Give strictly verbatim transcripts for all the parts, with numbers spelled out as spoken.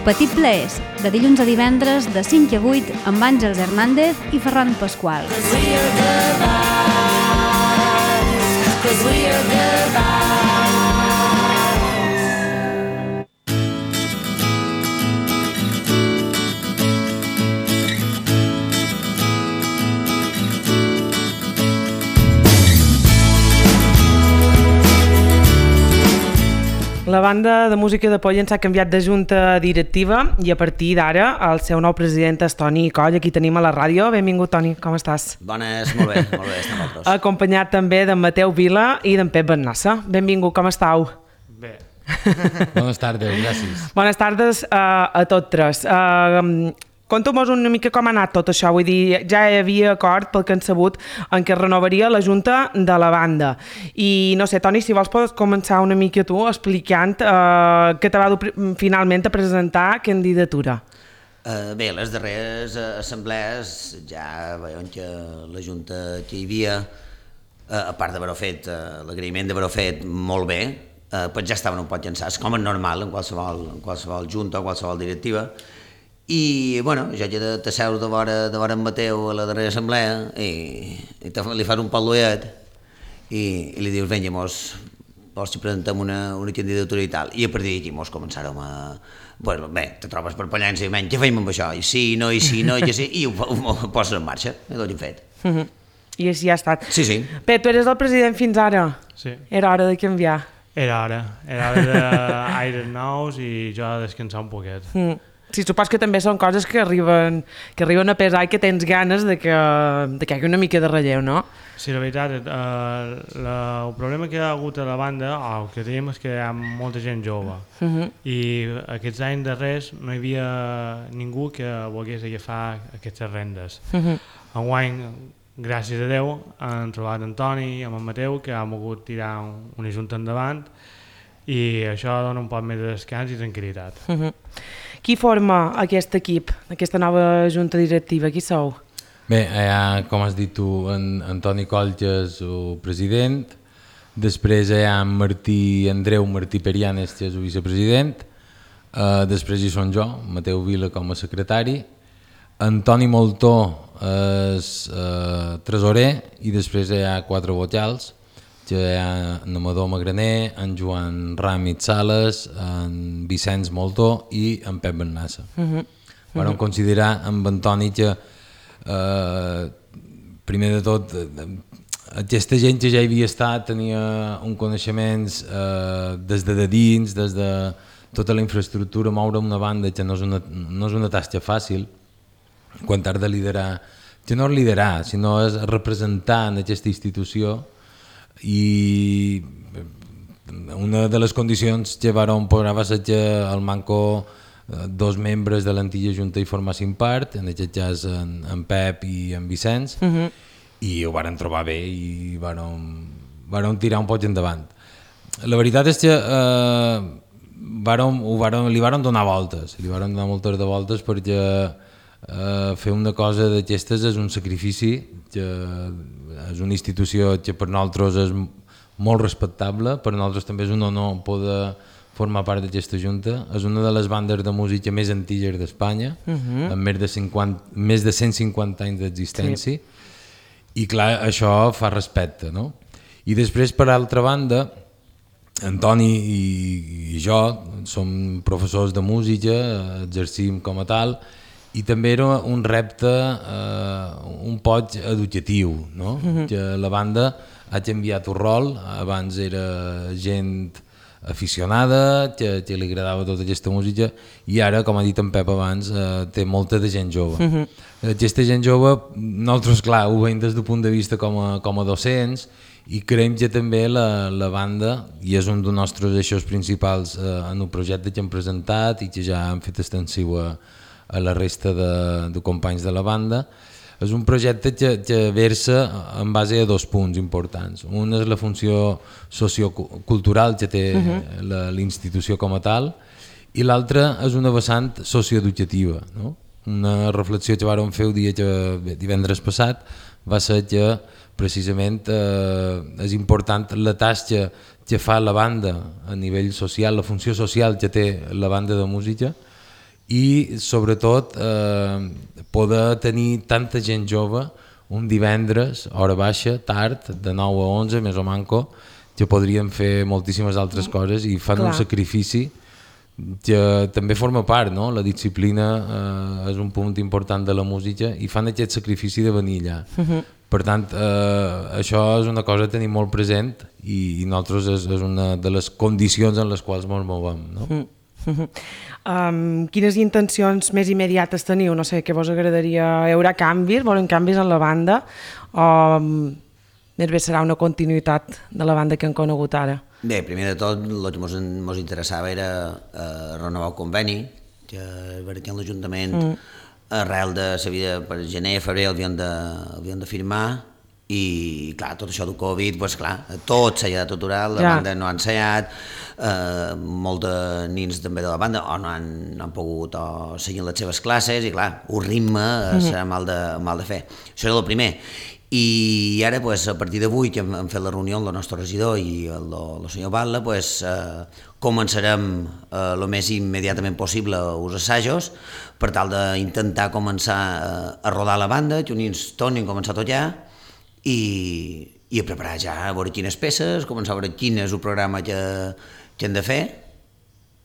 Petit Plaers, de dilluns a divendres de cinc a vuit amb Àngels Hernández i Ferran Pasqual. La banda de música de Pollen s'ha canviat de junta directiva i a partir d'ara el seu nou president és Toni Coll. Aquí tenim a la ràdio. Benvingut, Toni, com estàs? Bones, molt bé, molt bé, estem vosaltres. Acompanyat també d'en Mateu Vila i d'en Pep Bennassa. Benvingut, com estàu? Bé. Bones tardes, gràcies. Bones tardes uh, a tots tres. Uh, Conta'm una mica com ha anat tot això, vull dir, ja hi havia acord pel que han sabut en què renovaria la junta de la banda. I no sé, Toni, si vols pots començar una mica tu explicant uh, que te va dur finalment a presentar candidatura. Uh, bé, les darreres assemblees ja veiem que la junta que hi havia, uh, a part d'haver-ho fet, uh, l'agraïment d'haver-ho fet molt bé, uh, pues ja estaven un poc llançats, com és normal en qualsevol, en qualsevol junta o qualsevol directiva. I, bueno, jo ja de, de seure de vora, de vora en Mateu a la darrera assemblea i, i te, li fas un pal·luet i, i li dius, vinga, mos, vols que presentem una, una candidatura i tal. I a partir d'aquí mos començàrem a... Bueno, bé, te trobes per Pollença i menys, què feim amb això? I sí, no, i sí, no, i que sí, i ho, ho, ho poses en marxa, i tot ho hem fet. Uh -huh. I així ha estat. Sí, sí. Pep, tu eres el president fins ara? Sí. Era hora de canviar. Era hora, era hora d'aires nous i jo de descansar un poquet. Mm. Sí, supos que també són coses que arriben, que arriben a pesar i que tens ganes de que, de que hi hagi una mica de relleu, no? Sí, la veritat, eh, la, el problema que hi ha hagut a la banda, o el que tenim, és que hi ha molta gent jove. Uh -huh. I aquests anys darrers no hi havia ningú que volgués agafar aquestes rendes. Uh -huh. Enguany, gràcies a Déu, han trobat en Toni i en Mateu, que han volgut tirar una junta endavant, i això dona un poc més de descans i tranquil·litat. Uh -huh. Qui forma aquest equip, aquesta nova junta directiva? Qui sou? Bé, hi ha, com has dit tu, en, en Toni Coll, que és el president, després hi ha en Martí, Andreu Martí Perianes, que és el vicepresident, uh, després hi són jo, Mateu Vila com a secretari, en Toni Moltó és uh, tresorer i després hi ha quatre vocals, que hi ha en Amador Magraner, en Joan Ràmit Sales, en Vicenç Moltó i en Pep Bennassa. Uh -huh. Vam considerar amb en Toni que, eh, primer de tot, aquesta gent que ja hi havia estat tenia un coneixements eh, des de dins, des de tota la infraestructura, moure una banda que no és una, no és una tasca fàcil, quan t'has de liderar, que no és liderar, sinó és representar en aquesta institució. I una de les condicions que vam posar va ser que el manco dos membres de l'antiga junta hi formassin part, en aquest cas en, en Pep i en Vicenç, uh -huh. i ho varen trobar bé i varen tirar un poc endavant. La veritat és que eh, varen, ho varen, li varen donar voltes, li varen donar moltes de voltes perquè eh, fer una cosa d'aquestes és un sacrifici que és una institució que per nosaltres és molt respectable, per nosaltres també és un honor poder formar part d'aquesta junta. És una de les bandes de música més antigues d'Espanya, uh -huh. amb més de, cinquanta, més de cent cinquanta anys d'existència, sí. I clar, això fa respecte, no? I després, per altra banda, en Toni i, i jo som professors de música, exercim com a tal, i també era un repte eh, un poc educatiu, no? Uh-huh. Que la banda ha canviat el rol, abans era gent aficionada, que, que li agradava tota aquesta música, i ara, com ha dit en Pep abans, eh, té molta de gent jove. Uh-huh. Aquesta gent jove, nosaltres, clar, ho veiem des del punt de vista com a, com a docents, i creiem que també la, la banda, i és un dels nostres eixos principals eh, en el projecte que hem presentat i que ja hem fet extensiu a a la resta de, de companys de la banda, és un projecte que, que versa en base a dos punts importants. Un és la funció sociocultural que té uh-huh. la, la institució com a tal, i l'altre és una vessant socioeducativa, no? Una reflexió que vàrem fer el dia que, bé, divendres passat va ser que precisament eh, és important la tasca que fa la banda a nivell social, la funció social que té la banda de música, i sobretot eh, poder tenir tanta gent jove un divendres, hora baixa, tard, de nou a onze, més o manco, que podrien fer moltíssimes altres coses i fan Clar. un sacrifici que també forma part, no? La disciplina eh, és un punt important de la música i fan aquest sacrifici de venir allà. Uh-huh. Per tant, eh, això és una cosa a tenir molt present i, i nosaltres és, és una de les condicions en les quals ens movem. No? Uh-huh. Uh-huh. Um, quines intencions més immediates teniu? No sé, què vos agradaria? Hi haurà canvis? Volen canvis en la banda? O um, més bé serà una continuïtat de la banda que han conegut ara? Bé, primer de tot, el que ens interessava era eh, renovar el conveni, que perquè l'Ajuntament, mm. arrel de la vida per gener, febrer, havien de, havien de firmar, i clar, tot això del Covid, pues, clar, tot s'ha de aturar, la ja. banda no ha ensaiat, eh, molts de nins també de la banda o no han, no han pogut o seguir les seves classes i clar, un ritme eh, mm. serà mal de, mal de fer. Això era el primer. I ara, pues, a partir d'avui, que hem, hem fet la reunió amb el nostre regidor i el, el senyor Batlle, pues, eh, començarem el eh, més immediatament possible els assajos per tal d'intentar començar eh, a rodar la banda, que uns tornin a començar a tocar i, i a preparar ja, a veure quines peces, començar a veure quin és el programa que, que hem de fer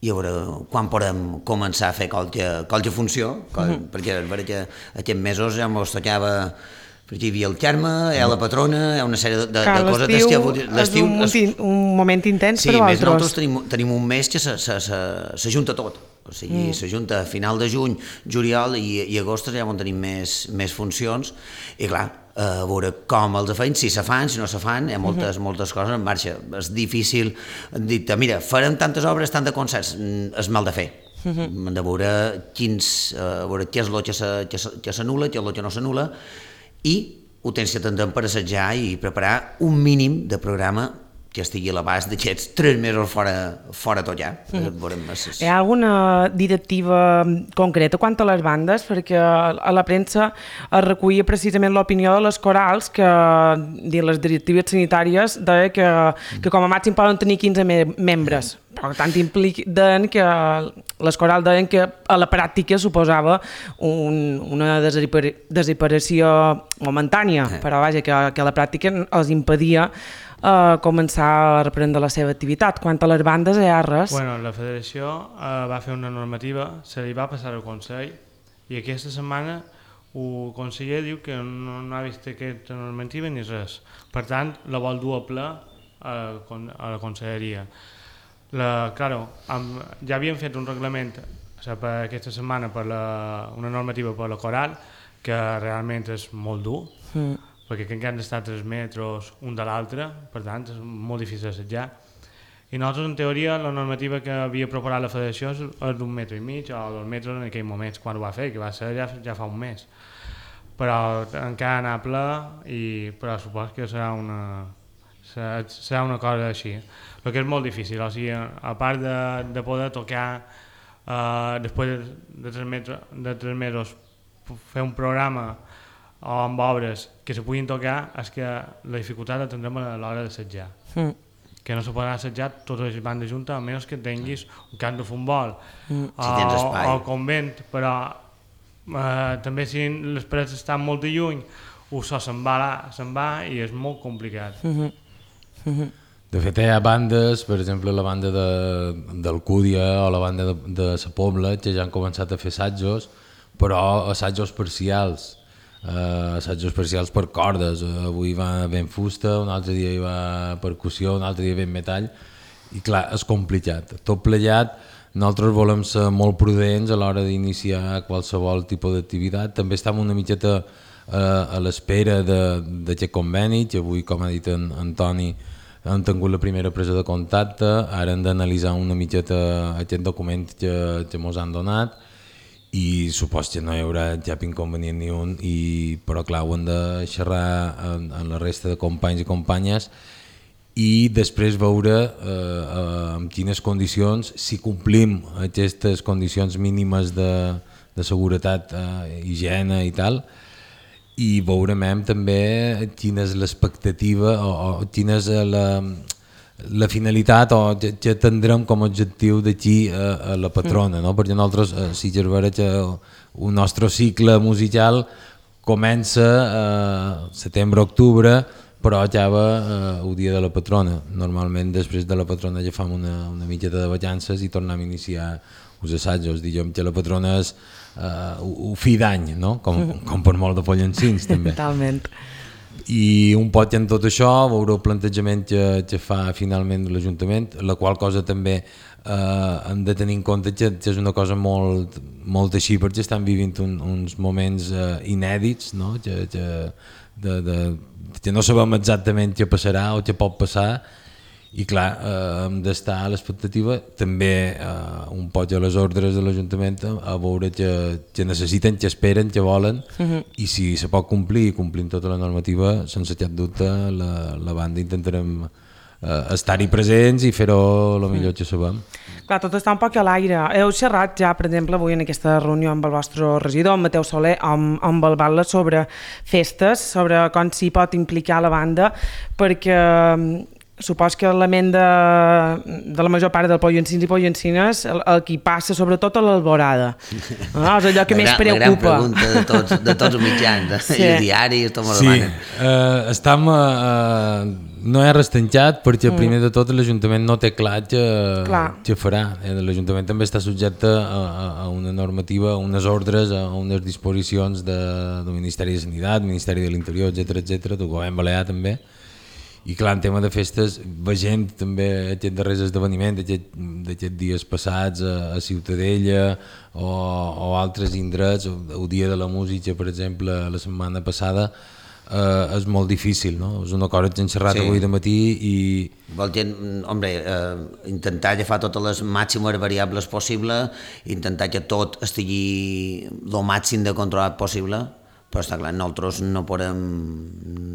i a veure quan podem començar a fer qualque, qualque funció, qual, mm-hmm. perquè és veritat que aquests mesos ja ens tocava. Perquè hi havia el Carme, hi ha la patrona, hi ha una sèrie de, de, de coses d'estiu. L'estiu és un, un moment intens sí, per vosaltres. Sí, nosaltres tenim, tenim un mes que s'ajunta tot. O sigui, mm. s'ajunta a final de juny, juliol i, i agost ja on tenim més, més funcions. I clar, a veure com els feim, si se fan, si no se fan, hi ha moltes, mm-hmm. moltes coses en marxa. És difícil dir, mira, farem tantes obres, tant de concerts, és mal de fer. Mm-hmm. Hem de veure, quins, a veure què és el que s'anul·la, què és el que no s'anul·la, i ho tens que atendre per assetjar i preparar un mínim de programa que estigui a l'abast d'aquests tres mesos fora, fora tot ja. Mm. Hi ha alguna directiva concreta quant a les bandes? Perquè a la premsa es recollia precisament l'opinió de les corals que les directives sanitàries deia que, que com a màxim poden tenir quinze me membres. Per tant, impliquen que les corals deien que a la pràctica suposava un, una desaparició momentània, però vaja, que, que a la pràctica els impedia Uh, començar a reprendre la seva activitat. Quant a les bandes hi ha res? Bueno, la federació uh, va fer una normativa, se li va passar al Consell i aquesta setmana el conseller diu que no, no ha vist aquesta normativa ni res. Per tant, la vol dur a ple a, a la conselleria. La, claro, amb, ja havien fet un reglament o sigui, per aquesta setmana per la, una normativa per la coral que realment és molt dur. Mm. perquè encara han d'estar tres metres un de l'altre, per tant és molt difícil d'assetjar. I nosaltres, en teoria, la normativa que havia proposat la federació és d'un metre i mig o dos metres en aquell moment, quan ho va fer, que va ser ja, ja fa un mes. Però encara anar a ple, i, però suposo que serà una, serà, serà una cosa així. El que és molt difícil, o sigui, a part de, de poder tocar eh, després de tres, metres, de tres mesos, fer un programa o amb obres que se puguin tocar, és que la dificultat la tindrem a l'hora d'assetjar. Mm. Que no se podrà assetjar totes les bandes juntes, a menys que tinguis un camp de futbol mm. o, si o convent, però eh, també si les parets estan molt de lluny, o so se'n va, se'n va i és molt complicat. Mm-hmm. Mm-hmm. De fet, hi ha bandes, per exemple la banda de, d'Alcúdia o la banda de, de Sa Pobla, que ja han començat a fer assajos, però assajos parcials. Uh, assajos parcials per cordes, uh, avui va ben fusta, un altre dia hi va percussió, un altre dia ben metall i clar, és complicat. Tot plegat, nosaltres volem ser molt prudents a l'hora d'iniciar qualsevol tipus d'activitat. També estem una mitjeta uh, a l'espera d'aquest conveni, que avui, com ha dit en Antoni, hem tingut la primera presa de contacte, ara hem d'analitzar una mitjeta aquest document que, que ens han donat i supos que no hi haurà cap inconvenient ni un, i, però clar, ho hem de xerrar en, en la resta de companys i companyes i després veure eh, en quines condicions, si complim aquestes condicions mínimes de, de seguretat, eh, higiene i tal, i veurem també quina és l'expectativa o, o quina és la, la finalitat o que, que tindrem com a objectiu d'aquí a, a la patrona, no? Perquè nosaltres, a Sitges Vera, que el nostre cicle musical comença a setembre-octubre, però acaba eh, el dia de la patrona. Normalment després de la patrona ja fem una, una mitjeta de vacances i tornem a iniciar els assajos. Diguem que la patrona és uh, un fi d'any, no? Com, com per molt de pollancins també. Totalment. I un poc en tot això veure el plantejament que, que fa finalment l'Ajuntament, la qual cosa també eh, hem de tenir en compte que, que és una cosa molt, molt així, perquè estan vivint un, uns moments eh, inèdits, no? que, que, de, de, que no sabem exactament què passarà o què pot passar, i clar, eh, hem d'estar a l'expectativa també eh, un poc a les ordres de l'Ajuntament a veure que, que necessiten, que esperen, que volen, uh-huh. i si se pot complir i complim tota la normativa, sense cap dubte la, la banda intentarem eh, estar-hi presents i fer-ho el millor que sabem. Clar, tot està un poc a l'aire. Heu xerrat ja, per exemple, avui en aquesta reunió amb el vostre regidor, amb Mateu Soler, amb, amb el Batlle, sobre festes, sobre com s'hi pot implicar la banda, perquè supos que la ment de, de la major part del Pollancins i Pollancines el, el que passa sobretot a l'Alborada, no? És allò que més preocupa. La gran pregunta de tots, de tots els mitjans, sí. I els diaris, tot m'ho demanen. Sí, uh, estem, uh, no és restancat perquè mm. primer de tot l'Ajuntament no té clar què, què farà. L'Ajuntament també està subjecte a, a una normativa, a unes ordres, a unes disposicions de, del Ministeri de Sanitat, Ministeri de l'Interior, etcètera, etcètera, del Govern Balear també. I clar, en tema de festes, veient també aquests darrers esdeveniments d'aquests dies passats a, a Ciutadella o, o altres indrets, el dia de la música, per exemple, la setmana passada, eh, és molt difícil, no? És una cosa que hem xerrat sí. avui de matí i... Vol dir, hombre, eh, intentar agafar totes les màximes variables possibles, intentar que tot estigui el màxim de controlat possible, però està clar, nosaltres no podem,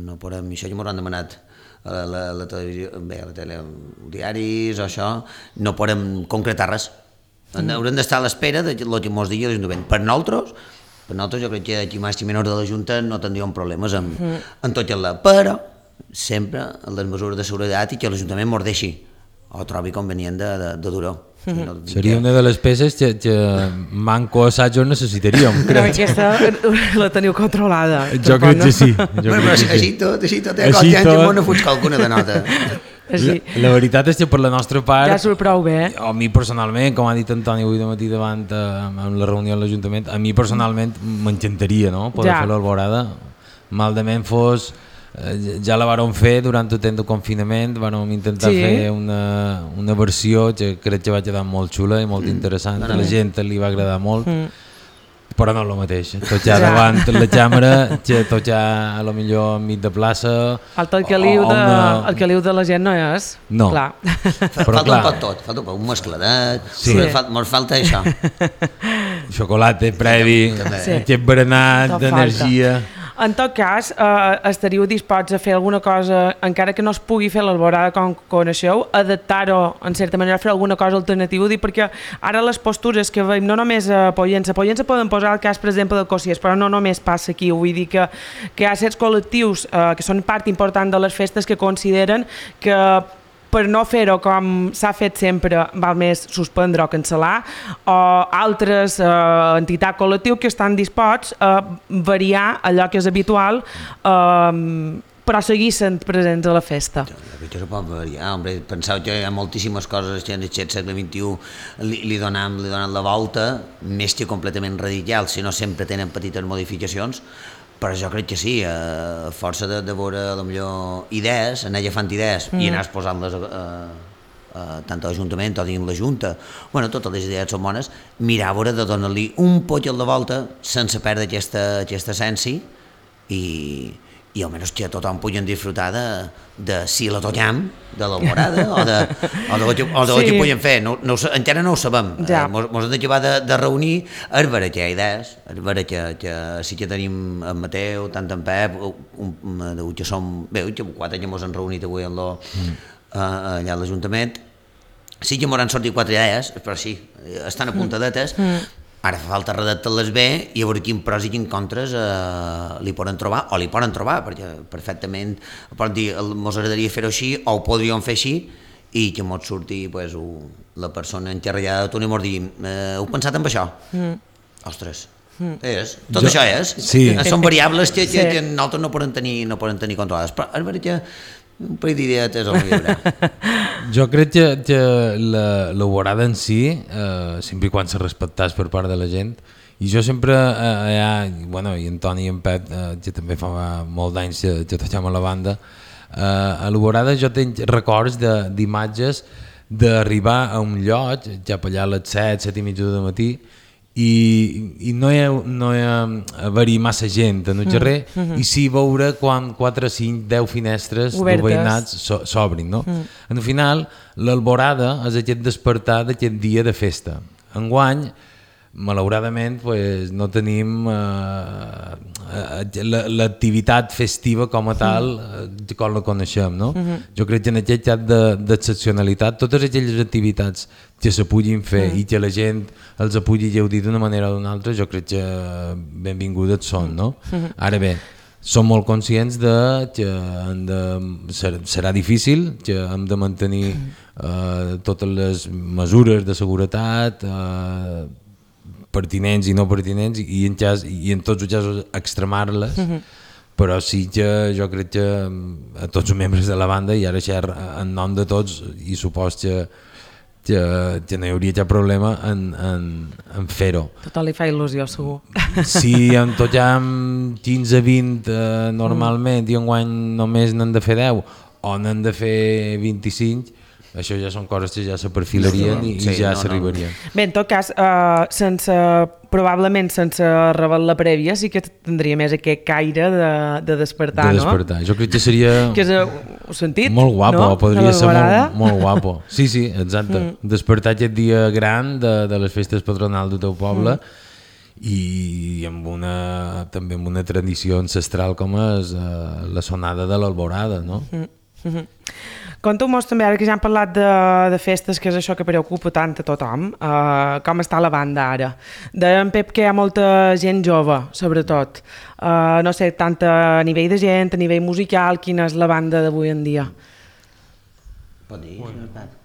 no podem, això ja m'ho han demanat, a la, la, la televisió, bé, a la tele, diaris o això, no podem concretar res. Mm. Haurem d'estar a l'espera de lo que ens digui l'Ajuntament. Per nosaltres, per nosaltres jo crec que aquí màxim menor de la Junta no tindríem problemes amb, mm. en tot el però sempre les mesures de seguretat i que l'Ajuntament ens deixi o trobi convenient de, de, de dur-ho. Mm. No, seria una de les peces que, que manco assajos necessitaríem, crec. No, aquesta la teniu controlada. Jo crec que sí. Jo bueno, però així, així tot, així tot, eh? Així tot. No fuig qualcuna de nota. La, la veritat és que per la nostra part... Ja surt prou bé. A mi personalment, com ha dit Antoni avui de matí davant amb la reunió a l'Ajuntament, a mi personalment m'encantaria, no?, poder ja. fer l'Alborada. Mal de ment fos... Ja la vàrem fer durant el temps de confinament, vàrem intentar sí. fer una, una versió que crec que va quedar molt xula i molt interessant, mm. a la gent li va agradar molt, mm. però no és el mateix, tocar ja. davant la càmera, que tocar a lo millor enmig de plaça... Falta el caliu, de, una... el caliu de la gent no és, no. clar. Però falta clar. un poc tot, falta un poc, un mescladet, sí. ens falta això. Xocolata previ, sí. aquest berenat d'energia... En tot cas, eh, estaríeu disposts a fer alguna cosa, encara que no es pugui fer l'Alborada com coneixeu, adaptar-ho, en certa manera, fer alguna cosa alternativa, dir, perquè ara les postures que veiem, no només a Pollença, a Pollença poden posar el cas, per exemple, de Cossiers, però no només passa aquí, vull dir que, que hi ha certs col·lectius eh, que són part important de les festes que consideren que per no fer-ho com s'ha fet sempre, val més suspendre o cancel·lar, o altres eh, entitats col·lectius que estan disposats a variar allò que és habitual, eh, però seguir sent presents a la festa. Això se pot variar, hombre. Penseu que hi ha moltíssimes coses que en aquest segle vint-i-u li, li, donem, li donen la volta, més que completament radical, si no sempre tenen petites modificacions, però jo crec que sí, a força de, de veure potser idees, anar agafant idees mm. i anar posant-les a, a, a, tant a l'Ajuntament o dins la Junta, bueno, totes les idees són bones, mirar a veure de donar-li un poc a la volta sense perdre aquesta, aquesta essència i, i almenys que tothom puguin disfrutar de, de si la toquem, de l'Alborada o de, o de, o de, o de sí. que puguin fer, no, no, encara no ho sabem, ja. eh, mos hem d'acabar de, de reunir, és vera que hi ha idees, és vera que, que sí que tenim en Mateu, tant en Pep, un, un, que som, bé, que quatre que ens hem reunit avui en lo, mm. eh, allà a l'Ajuntament, sí que ens han sortit quatre idees, però sí, estan apuntadetes, mm. Ara fa falta redactar-les bé i a veure quins pros i quins contres eh, li poden trobar, o li poden trobar, perquè perfectament poden dir, ens agradaria fer-ho així, o ho podríem fer així, i que mos surti pues, u, la persona encarregada de Toni mos digui eh, heu pensat en això? Mm. Ostres, mm. és, tot jo, això és. Sí. Són variables que, que, Sí. que nosaltres no podem tenir, no podem tenir controlades, però és veritat que un parell d'idees el llibre. Jo crec que, que la, la vorada en si, eh, sempre i quan se respectàs per part de la gent, i jo sempre, eh, ja, bueno, i en Toni i en Pep, eh, que també fa molt d'anys que, que tocem a la banda, eh, a la vorada jo tinc records d'imatges d'arribar a un lloc, cap allà a les set, set i mitja del matí, i, i no hi ha, no hi ha haver-hi massa gent en el carrer, mm -hmm. i sí veure quan quatre, cinc, deu finestres obertes, de veïnats s'obrin, no? Mm. Al final, l'alborada és aquest despertar d'aquest dia de festa. Enguany, malauradament, pues, no tenim eh, l'activitat festiva com a tal, eh, com la coneixem, no? Uh-huh. Jo crec que en aquest cas d'excepcionalitat, totes aquelles activitats que se puguin fer uh-huh. i que la gent els pugui gaudir d'una manera o d'una altra, jo crec que benvingudes són, no? Uh-huh. Ara bé, som molt conscients de que hem de, serà difícil, que hem de mantenir eh, totes les mesures de seguretat, eh, pertinents i no pertinents, i en, cas, i en tots els casos extremar-les, uh-huh. però sí que jo crec que a tots els membres de la banda, i ara xer en nom de tots, i supos que, que, que no hi hauria cap problema en, en, en fer-ho. Total li fa il·lusió, segur. Si en tot ja amb quinze vint eh, normalment mm. i enguany només n'han de fer deu o n'han de fer vint-i-cinc, això ja són coses que ja se perfilarien i, sí, i ja no, s'arribarien. No. Bé, en tot cas, uh, sense, probablement sense revelar prèvia, sí que tindria més aquest caire de, de despertar, no? De despertar. No? Jo crec que seria que és, ho sentit, molt guapo, no? Podria ser molt, molt guapo. Sí, sí, exacte. Mm. Despertar aquest dia gran de, de les festes patronals del teu poble mm. i amb una, també amb una tradició ancestral com és uh, la sonada de l'alborada, no? Mm. Mm-hmm. Conta'm també, ara que ja hem parlat de, de festes, que és això que preocupa tant a tothom, uh, com està la banda ara. Deia en Pep que hi ha molta gent jove, sobretot. Uh, no sé, tant a nivell de gent, a nivell musical, quina és la banda d'avui en dia? Pot dir, senyor Pep?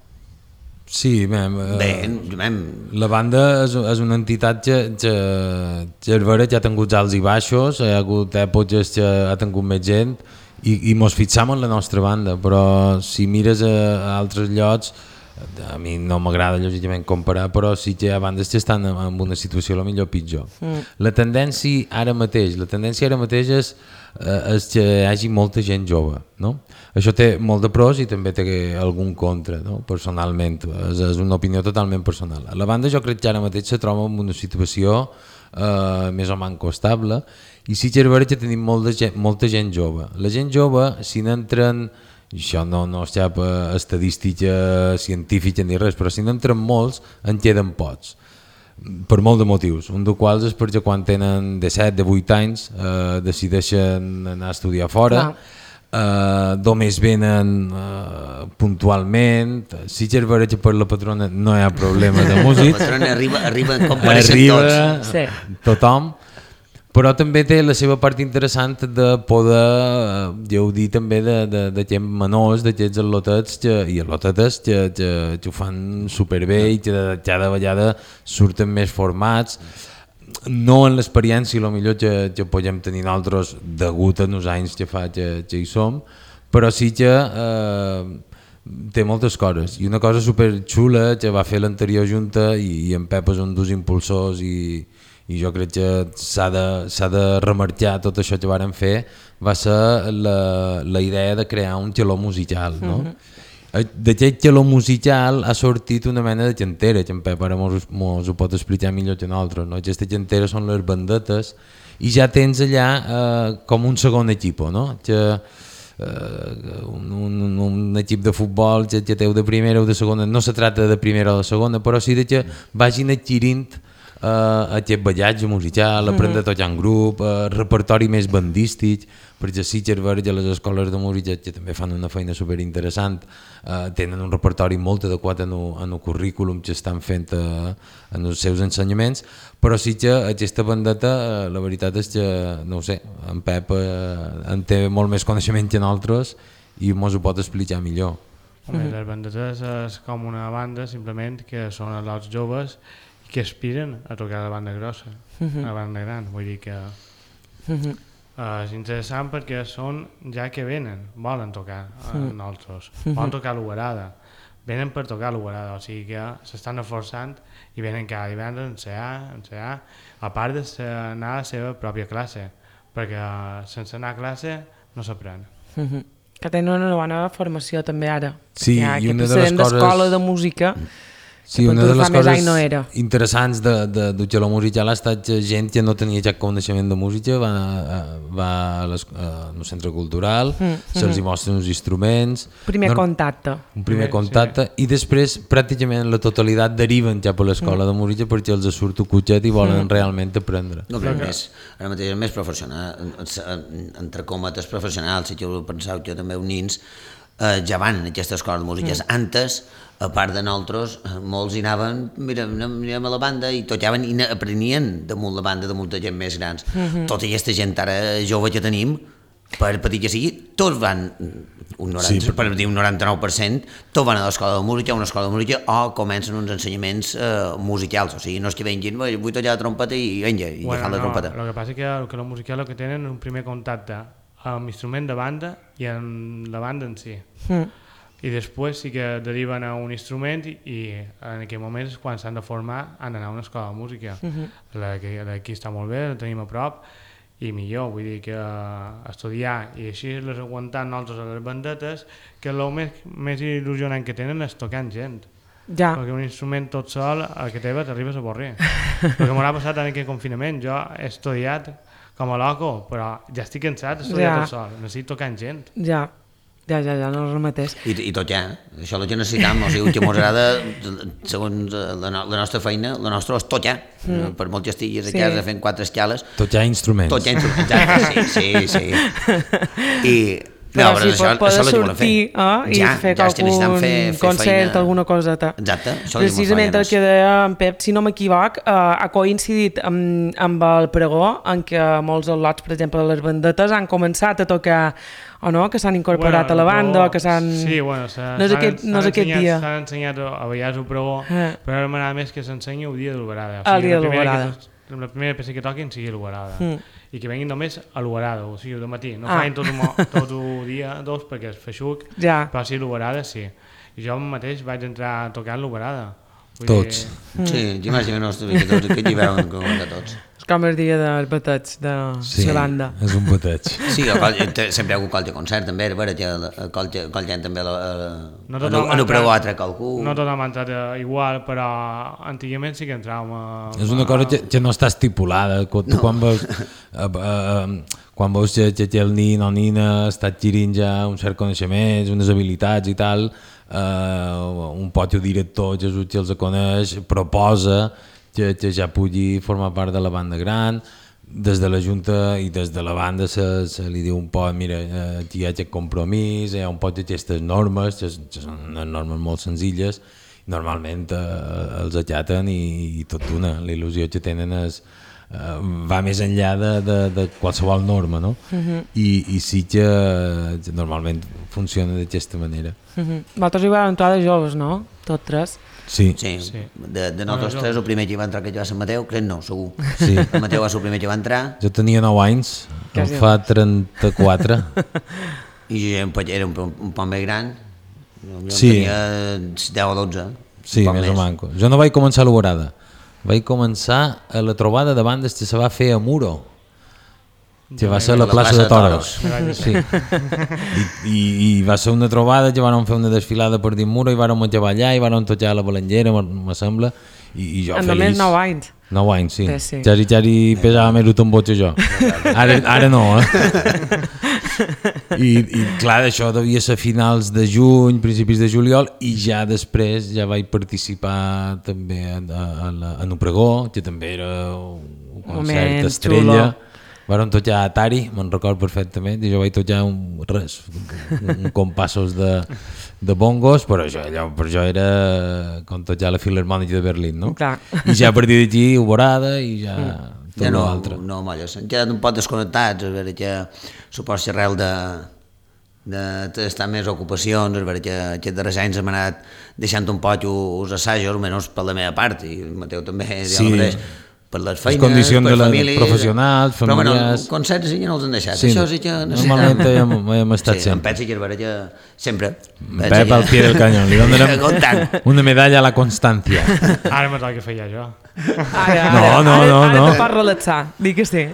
Sí, mem, uh, Bé, mem. La banda és, és una entitat que, que, que és vera que ha tingut alts i baixos, hi ha hagut èpoques que ha tingut més gent, i, i mos fixam en la nostra banda, però si mires a, a altres llocs, a mi no m'agrada lògicament comparar, però sí que hi ha bandes que estan en, en una situació a millor pitjor. Mm. La tendència ara mateix, la tendència ara mateix és, eh, és que hi hagi molta gent jove, no? Això té molt de pros i també té algun contra, no? Personalment, és, és una opinió totalment personal. La banda jo crec que ara mateix se troba en una situació eh, més o manco estable, i sí que és vera que tenim molta gent, molta gent jove. La gent jove, si n'entren, això no, no és cap estadística científica ni res, però si n'entren molts, en queden pocs, per molt de motius. Un dels quals és perquè quan tenen disset, divuit anys eh, decideixen anar a estudiar fora, eh, només venen eh, puntualment. Si que és vera que per la patrona no hi ha problema de músics. La patrona arriba, arriba en compareixen arriba tots. Sí. Tothom. Però també té la seva part interessant de poder gaudir també de, de, de gent menors, d'aquests al·lotets que, i al·lotetes que, que, que ho fan superbé i que cada vegada surten més formats, no en l'experiència millor que, que podem tenir nosaltres degut a els anys que fa que, que hi som, però sí que eh, té moltes coses, i una cosa superxula que va fer l'anterior junta, i, i en Pep és un dels impulsors, i i jo crec que s'ha de, s'ha de remarcar tot això que varen fer, va ser la, la idea de crear un xaló musical, no? Uh-huh. D'aquest xaló musical ha sortit una mena de xantera, que en Pep ara mos, mos ho pot explicar millor que nosaltres, no? Aquesta xantera són les bandetes, i ja tens allà eh, com un segon equip, no? Que, eh, un, un, un equip de futbol que, que teu de primera o de segona, no se tracta de primera o de segona, però sí de que vagin adquirint Uh, aquest ballatge musical, aprendre a tocar en grup, uh, repertori més bandístic, perquè sí que és vera que les escoles de música, que també fan una feina superinteressant, uh, tenen un repertori molt adequat en el, en el currículum que estan fent uh, en els seus ensenyaments, però sí que aquesta bandeta, uh, la veritat és que, no ho sé, en Pep uh, en té molt més coneixement que nosaltres i mos ho pot explicar millor. Home, les bandetes és com una banda simplement que són els joves que aspiren a tocar la banda grossa, la banda gran, vull dir que uh, és interessant perquè són ja que venen, volen tocar a nosaltres, volen tocar l'Uberada, venen per tocar l'Uberada, o sigui que s'estan esforçant i venen cada divendres a ensenyar, a ensenyar, a part d'anar a la seva pròpia classe, perquè sense anar a classe no s'aprèn. Que tenen una bona formació també ara. Sí, Hi ha i aquest una de les precedent coses... d'escola de música Sí, que una per de tu les fa més coses anys no era. interessants de, de, de la musical ha estat que gent que no tenia cap coneixement de música va, va a un centre cultural, mm, se'ls mm. hi mostren uns instruments... Primer no, contacte. Un primer Sí. contacte i després pràcticament la totalitat deriven cap a l'escola mm. de música perquè els surt un cotxet i volen mm. realment aprendre. No, però més, ara mateix és més professional, entre cometes professionals, si jo penseu que també uns nins eh, ja van a aquestes escoles de músiques. Mm. Antes, a part de nosaltres, molts hi anaven, mira, anirem a la banda i tocaven i aprenien damunt la banda de molta gent més grans. Mm-hmm. Tota aquesta gent ara jove que tenim, per petit que sigui, tots van, un noranta, sí, per dir un noranta-nou per cent, tots van a l'escola de música, a una escola de música, o comencen uns ensenyaments eh, musicals, o sigui, no és que venguin, vull tocar la trompeta i venga, i bueno, agafant la no, trompeta. El que passa és que, que la musical el que tenen és un primer contacte amb l'instrument de banda i amb la banda en si. Mm. I després sí que deriven a un instrument i, i en aquell moment és quan s'han de formar, han d'anar a una escola de música. Mm-hmm. la, que, la aquí està molt bé, la tenim a prop, i millor, vull dir que estudiar i així les aguantar nosaltres a les bandetes, que el més, més il·lusionant que tenen és tocar amb gent. Ja. Perquè un instrument tot sol, el que teva t'arribes a avorrir. El que m'ha passat en aquest confinament, jo he estudiat com a loco, però ja estic cansat d'estudiar ja. tot sol, necessito tocar amb gent. Ja. Ja, ja, ja, no el remetés. I, i tot ja, això és el que necessitam, o sigui, el que ens agrada, segons la, no, la nostra feina, la nostra és tot ja, mm. per molt que estiguis a sí. casa fent quatre escales. Tot ja instruments. Tot ja instruments, exacte, sí, sí, sí. I, però no, però si això, pot això sortir eh, i ja, fer ja algun fer, fer concert, feina. alguna coseta. Exacte, això precisament el que deia en Pep, si no m'equivoc, eh, ha coincidit amb, amb el pregó en què molts al·lots, per exemple, les bandetes han començat a tocar, o no, que s'han incorporat bueno, a la banda, o que s'han... Sí, bueno, no és aquest, no és aquest dia. S'han ensenyat a vegades el pregó, eh. però ara m'agrada més que s'ensenyi el dia de l'Uberada. O sigui, el dia de l'Uberada. La primera peça que toquin sigui l'Uberada. Mm. I que venguin només a l'Uberada, o sigui, de matí. No ah. fain tot, tot el dia, dos, perquè és feixuc, ja. però sí, l'Uberada sí. I jo mateix vaig entrar a tocar l'Uberada. Tots. Dir... Sí, t'imagino que nostre que tots, que hi veuen com que tots. És com el dia dels bateig de sí, la banda. Sí, és un bateig. Sí, sempre hi ha hagut qualque concert, també, a veure, qualque gent també no en ho preu altre qualcú. No tot hem entrat igual, però antigament sí que entràvem a... És una cosa que, que no està estipulada, quan, no. quan veus... A, a, a, quan veus que, que el nin o nina està adquirint ja un cert coneixements, unes habilitats i tal, eh, un pot director que els coneix, proposa que, que ja pugui formar part de la banda gran, des de la Junta i des de la banda se, se li diu un poc, mira, aquí hi ha aquest compromís, hi ha un poc d'aquestes normes, que són unes normes molt senzilles, normalment eh, els acaten i, i tot una, la il·lusió que tenen és Uh, va més enllà de, de, de qualsevol norma, no? Uh-huh. I, i sí que uh, normalment funciona d'aquesta manera. Uh-huh. Vosaltres hi vau entrar de joves, no? Tots tres? Sí. Sí, sí. De, de nosaltres tres, el primer que va entrar que va ser Mateu, crec no, segur. Sí. El Mateu va ser el primer que va entrar. Jo tenia nou anys, em fa trenta-quatre. I jo era un, un poc més gran, jo sí. tenia deu o dotze. Sí, més, més o manco. Jo no vaig començar a l'Uberada. Vaig començar a la trobada de bandes que se va fer a Muro, que va ser a la, la plaça, plaça de Toros. De sí. I, i, I va ser una trobada que van fer una desfilada per dins Muro i vam acabar allà i vam tocar a la Balengera, me sembla, i, i jo en feliç. Només nou anys. Nou anys, sí. sí. Jari, jari pesava més un tambor que jo. Ara, ara no, eh? I, I clar, això devia ser finals de juny, principis de juliol, i ja després ja vaig participar també en, en, en un pregó, que també era un concert Moment, estrella. Xulo. Varen tocar a Atari, me'n record perfectament, i jo vaig tocar un, res, un, un compassos de, de bongos, però això, allò, per jo era com tocar la Filarmònica de Berlín, no? Clar. I ja a partir d'aquí, Uberada, i ja... Mm. Ja no, no, molles, han quedat un poc desconnectats, a veure que suposo que arrel de, d'estar més ocupacions, és veritat que aquests darrers anys hem anat deixant un poc els assajos, almenys per la meva part, i el Mateu també, sí. Mateix, per les feines, les condicions per de famílies... professionals, però familiars... Però bueno, concerts sí que no els han deixat, sí, això sí que necessitem... Normalment hem, hem estat sí, sempre. En Pep sí que és veritat que sempre... Pep al pie del canyó, li donem una medalla a la constància. Ara me toca fer ja jo. Ara, no, ara, no, ara, no, ara no. te pots relaxar, dic que sí.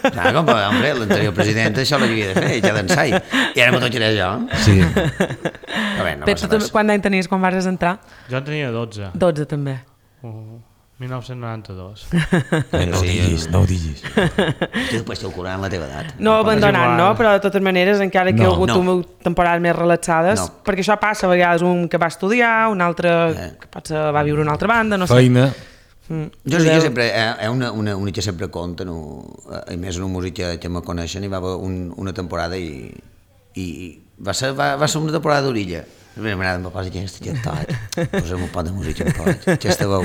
Clar, com, hombre, l'anterior president això l'havia de fer, ja d'ensai, i ara me tocaré jo. Sí. Però bé, no Pep, passa tu, res. quant d'any tenies quan vas entrar? Jo en tenia dotze. dotze també. Uh, mil nou-cents noranta-dos. Eh, no ho diguis, no ho diguis. Tu després t'ho curant la teva edat. No abandonant, no? Però de totes maneres, encara que No, hi ha hagut no. no. temporades més relaxades, No. perquè això passa a vegades un que va estudiar, un altre Eh. que potser va viure a una altra banda, no sé. Feina. Mm. Jo sí que sempre, hi ha una, una, una que sempre compta, no, i més en un músic que, que me coneixen, hi va haver un, una temporada i, i va, ser, va, va ser una temporada d'orilla. Bé, m'agrada, em va posar aquesta gentat, posa'm un pot de música, un pot, aquesta veu.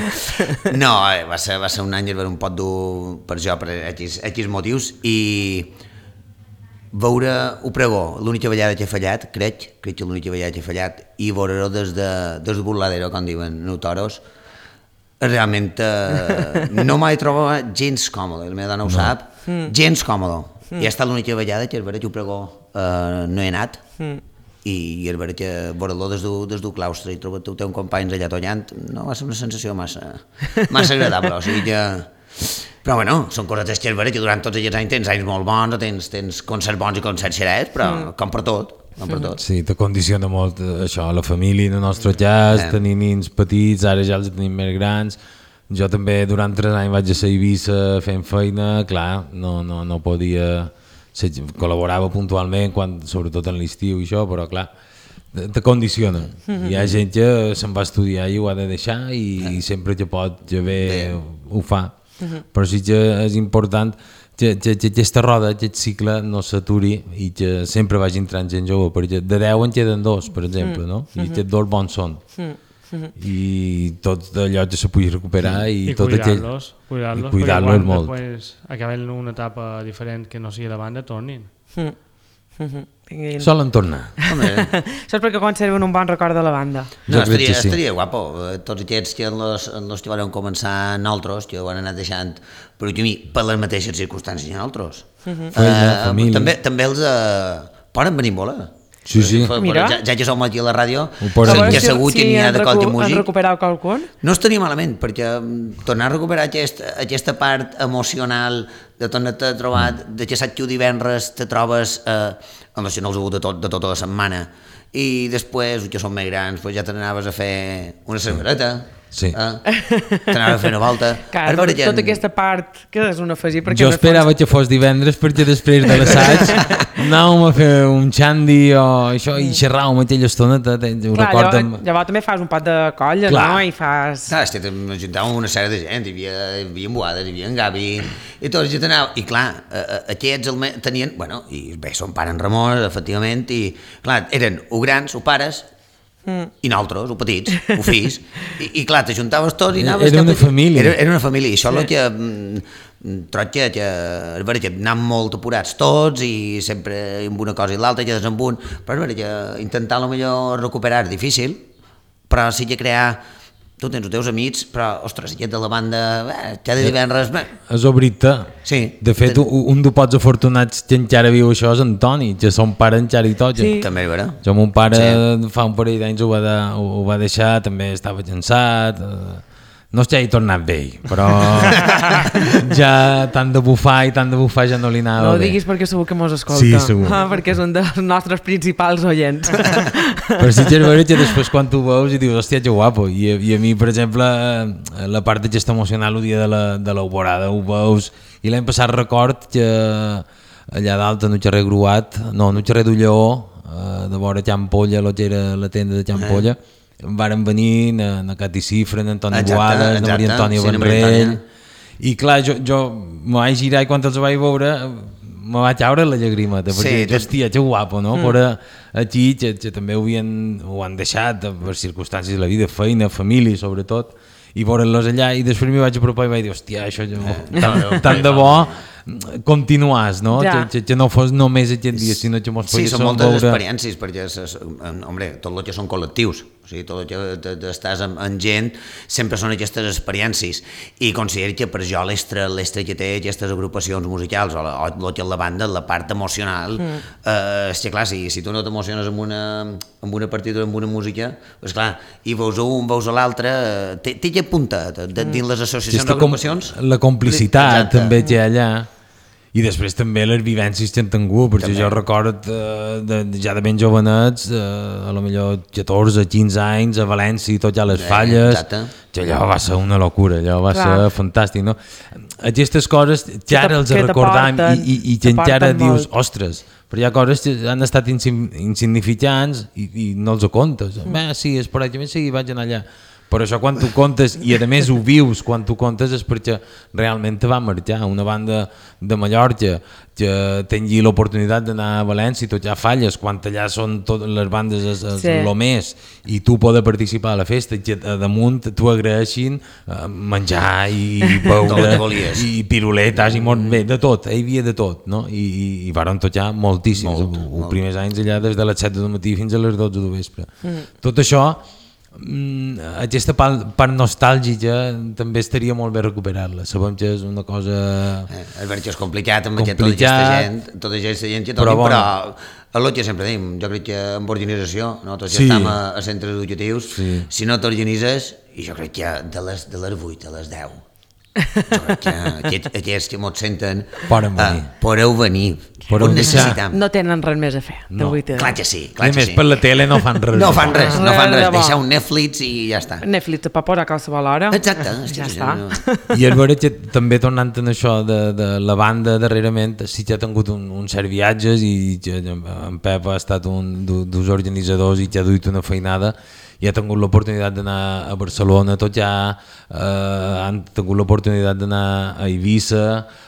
No, eh, va ser, va ser un any, era un pot dur per jo, per X, X motius, i veure ho pregó, l'única vegada que he fallat, crec, crec que l'única vegada que he fallat, i veure-ho des de, des de burladero, com diuen, no toros, realment eh, no m'he trobat gens còmode, la meva dona ho no. sap, mm. gens còmode. Mm. I ha estat l'única vegada que és veritat que ho pregó eh, no he anat, mm. i és veritat que veure-lo des del des claustre i trobar teu companys allà tollant, no va ser una sensació massa, massa agradable, o sigui que... Però bueno, són coses que és veritat que durant tots aquests anys tens anys molt bons, tens, tens concerts bons i concerts xerets, però mm. com per tot. Per tot. Sí, te condiciona molt això, la família, el nostre jazz, eh. tenir nins petits, ara ja els tenim més grans. Jo també durant tres anys vaig a ser a Eivissa fent feina, clar, no, no, no podia... Ser, col·laborava puntualment, quan, sobretot en l'estiu i això, però clar, te, te condiciona. Mm-hmm. Hi ha gent que se'n va estudiar i ho ha de deixar i, eh. i sempre que pot, que bé, ho fa. Mm-hmm. Però sí que és important que, que, que aquesta roda, aquest cicle no s'aturi i que sempre vagi entrant gent jove, perquè de deu en queden dos, per exemple, mm. no? I mm-hmm. aquests dos bons són. Mm-hmm. I tot allò que se pugui recuperar mm. i, I tot cuidar-los, aquell... cuidar-los, I cuidar-los molt. Després acaben una etapa diferent que no sigui la banda, tornin. Mm. Mm-hmm. Tinguin... Solen tornar. Això és perquè conserven un bon record de la banda. No, jo estaria, sí. estaria guapo. Tots aquests que en los, en los que van començar nosaltres, que ho han anat deixant per mi, per les mateixes circumstàncies que nosaltres. Uh-huh. Feina, uh, famílies. També, també els uh, poden venir molt, eh? Sí, sí. Mira. Ja, ja que som aquí a la ràdio, poden... que segur que n'hi ha de qualque músic. Han recuperat qualcun? No estaria malament, perquè tornar a recuperar aquest, aquesta part emocional de tornar-te a trobar, de que saps que divendres te trobes eh, amb els canals de, tot, de tota la setmana, i després, que són més grans, pues ja te n'anaves a fer una cerveseta, sí. eh? te n'anaves a fer una volta. Clar, tot, gent... tota aquesta part que és un afegir. Jo esperava fons... que fos divendres perquè després de l'assaig anàvem a fer un xandi o això i xerràvem aquella estoneta. Clar, llavors, llavors també fas un pot de colla, clar. No? I fas... Clar, és que juntàvem una sèrie de gent, hi havia, hi havia en Boades, hi havia en Gavi, i tots ja t'anava, i clar, aquests el tenien, bueno, i bé, son pare en Ramon, efectivament, i clar, eren o grans o pares, Mm. i nosaltres, o petits, o fills, i, i clar, t'ajuntaves tots i anaves... Era una cap... família. Era, era una família, i això és el que... Troc que, que, que anàvem molt apurats tots i sempre amb una cosa i l'altra, quedes amb un, però és veritat que intentar potser recuperar és difícil, però sí que crear... Tu tens els teus amics, però, ostres, aquest de la banda, eh, cada divendres... Bé. És obrir-te. Sí. De fet, un, un dels pocs afortunats que encara viu això és Antoni, que son pare encara hi toca. Sí. També és vera. Jo, mon pare, sí. fa un parell d'anys ho, va de, ho, ho va deixar, també estava cansat... Eh, no és que hagi tornat vell, però ja tant de bufar i tant de bufar ja no li anava bé. No ho diguis perquè segur que mos escolta. Sí, segur. Ah, perquè és un dels nostres principals oients. Però sí que és veritat que després quan tu veus i dius, hòstia, que guapo. I, i a mi, per exemple, la part de gesta emocional el dia de la, de l'Alborada ho veus. I l'any passat record que allà dalt, en el carrer Gruat, no, en el carrer d'Ulleó, de vora Can Polla, el que era la tenda de Can Polla, eh. Varen venir na, na Cati Cifra, na Antoni exacte, Boades, exacte, na Maria Antònia sí, Vendrell, i clar, jo, jo me vaig girar i quan els vaig veure me vaig caure la llagrimeta, perquè, sí, hòstia, que guapo, no? Mm. Però aquí, que, que també ho, havien, ho han deixat per circumstàncies de la vida, feina, família, sobretot, i veure'ls allà, i després m'hi vaig apropar i vaig dir, hòstia, això jo, tant, tant de bo continuars, no? Ja. Que, que no fos només aquest dia, sinó que mos Sí, poguéssim són moltes veure... experiències, perquè, ses, hombre, tot el que són col·lectius, o sigui, tot el que estàs amb, amb gent, sempre són aquestes experiències, i considero que per jo l'estre, l'estre que té aquestes agrupacions musicals, o, la, o el que és la banda, la part emocional, mm. eh, és que clar, si, si tu no t'emociones amb una, amb una partitura, amb una música, doncs clar, i veus un, veus l'altre, té, té que punta de, de, dins les associacions d'agrupacions. Com, la complicitat Exacte. també que hi ha allà. I després també les vivències que han tingut, perquè també. Jo record eh, de, ja de ben jovenets, eh, a lo millor catorze, quinze anys, a València i tot ja les eh, falles, exacte. Que allò va ser una locura, allò va Clar. ser fantàstic, no? Aquestes coses que ara els recordam i, i, i que encara dius, molt. Ostres, però hi ha coses que han estat insignificants i, i no els ho comptes. Mm. Bé, sí, és per aquí, sí, vaig anar allà. Per això quan tu comptes, i a més ho vius quan tu comptes, és perquè realment te va marxar. Una banda de Mallorca que tingui l'oportunitat d'anar a València i tot ja falles, quan allà són totes les bandes és, és sí. lo més, i tu poder participar a la festa, que damunt t'ho agraeixin menjar i beure i piruletes i molt bé, de tot, hi havia de tot, no? I, i, i van tocar moltíssims, molt, els primers anys allà des de les set del matí fins a les dotze del vespre. Mm. Tot això, aquesta part, part nostàlgica també estaria molt bé recuperar-la. Sabem que és una cosa eh, és veritat que és complicat amb complicat, tota aquesta gent tota aquesta gent que toqui, però, però el que sempre dèiem, jo crec que amb organització, no? Tots sí. ja estem a, a centres educatius, sí. Si no t'organitzes, i jo crec que de les, de les vuit a les deu jo crec que aquests, aquests que mos senten poden venir, uh, podeu venir, ho necessitem. No tenen res més a fer. No. Clar que sí, clar que més sí. Per la tele no fan res. No fan res, no fan res. Deixar un Netflix i ja està. Netflix et pot posar a qualsevol hora. Exacte. Ja està. I és veritat que també tornant en això de, de la banda darrerament, sí que ha tingut un, un cert viatges i que en Pep ha estat un dels organitzadors i que ha duit una feinada i ha tingut l'oportunitat d'anar a Barcelona, tot ja eh, han tingut l'oportunitat d'anar a Eivissa,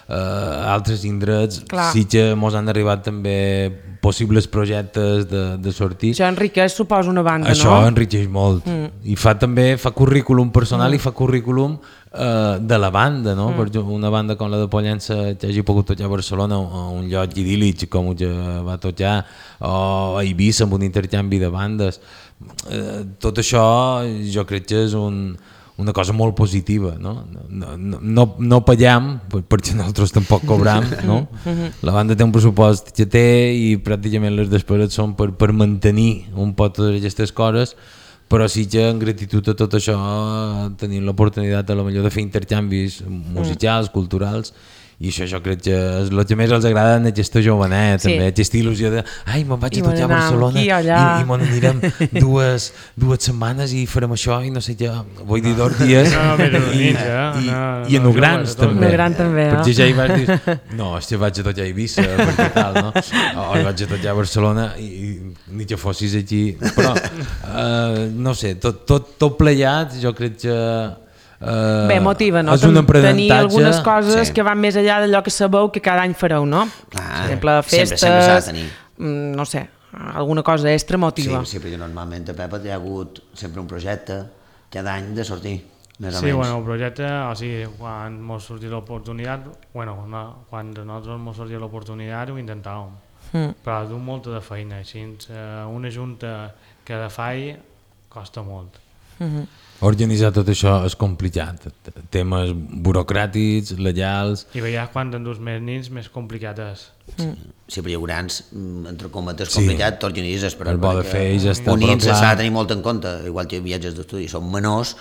eh, altres indrets, Clar. Sí que mos han arribat també possibles projectes de, de sortir. Això enriqueix, suposo, una banda, Això no? Això enriqueix molt. Mm. I fa també, fa currículum personal mm. i fa currículum eh, de la banda, no? Mm. Per una banda com la de Pollença que hagi pogut tocar a Barcelona, un lloc idíl·lic com que va tocar, o a Eivissa amb un intercanvi de bandes. Eh, tot això jo crec que és un, una cosa molt positiva, no? No, no, no, no pagam perquè nosaltres tampoc cobram, no? La banda té un pressupost que té i pràcticament les despeses són per, per mantenir un pot totes aquestes coses, però sí que en gratitud a tot això tenim l'oportunitat a lo millor de fer intercanvis musicals, culturals, i això jo crec que és el que més els agrada en aquesta jovenet, sí. També aquesta il·lusió de ai, me'n vaig a tocar a Barcelona i, i me'n anirem dues, dues setmanes i farem això i no sé què, vull dir dos dies no, no, i, i, i, no, i en Ugrans no, també, gran, també no? Perquè ja hi vas dir no, hòstia, vaig a tocar a Eivissa perquè tal, no? O vaig a tocar a Barcelona i, i ni que fossis aquí però, uh, no sé, tot, tot, tot pleiat jo crec que Uh, bé, motiva, no? Tenir algunes coses sí. que van més enllà d'allò que sabeu que cada any fareu, no? Clar, per exemple, festes, sempre, sempre s'ha de tenir. No sé, alguna cosa extra motiva. Sí, sí, perquè normalment a Pepa hi ha hagut sempre un projecte cada any de sortir, més o sí, menys. Bueno, el projecte, o sigui, quan mos sortia l'oportunitat, bueno, no, quan nosaltres mos sortia l'oportunitat ho intentàvem, mm. però du molta de feina, així una junta que de fai costa molt. Mm-hmm. Organitzar tot això és complicat, temes burocràtics, legals... I veies quan t'endús més nins més complicat és. Mm. Sí, però hi haurà, entre cometes, complicat, sí. T'organitzes, però... El bo de fer ja està, un ins s'ha de tenir molt en compte, igual que viatges d'estudi, són menors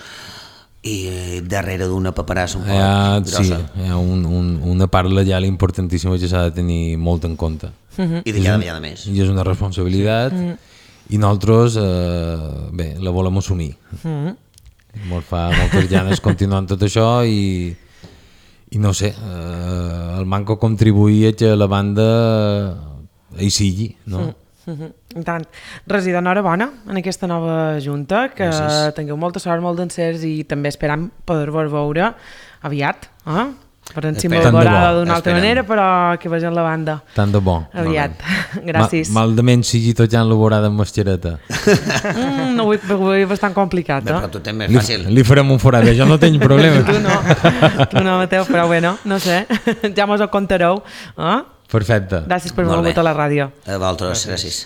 i darrere d'una paperassa un poc ha, grossa. Sí, hi ha un, un, una part legal importantíssima que s'ha de tenir molt en compte. Mm-hmm. I de cada vegada més. I és una responsabilitat mm. i nosaltres, eh, bé, la volem assumir. Mm-hmm. Molt fa moltes ganes continuant tot això i, i no sé, eh, el Manco contribuïa que la banda hi sigui, no? Mm-hmm. I tant. Regidor, enhorabona en aquesta nova junta, que Gràcies. Tingueu molta sort, molt d'encerts i també esperam poder-vos veure aviat. Eh? per encima Espera. la Tant de vorada bo. d'una altra Esperem. manera, però que vegin la banda Tant de bo. aviat. Gràcies. Ma, malament sigui tot ja en laborada amb mascareta. Mm, no, avui, avui és bastant complicat, Bé, eh? però tu tens més Li, fàcil. li farem un forat, jo no tinc problema. Tu no, tu no, Mateu, però bueno, no sé, ja mos ho contareu. Eh? Perfecte. Gràcies per Molt haver bé. vingut a la ràdio. A vosaltres, gràcies.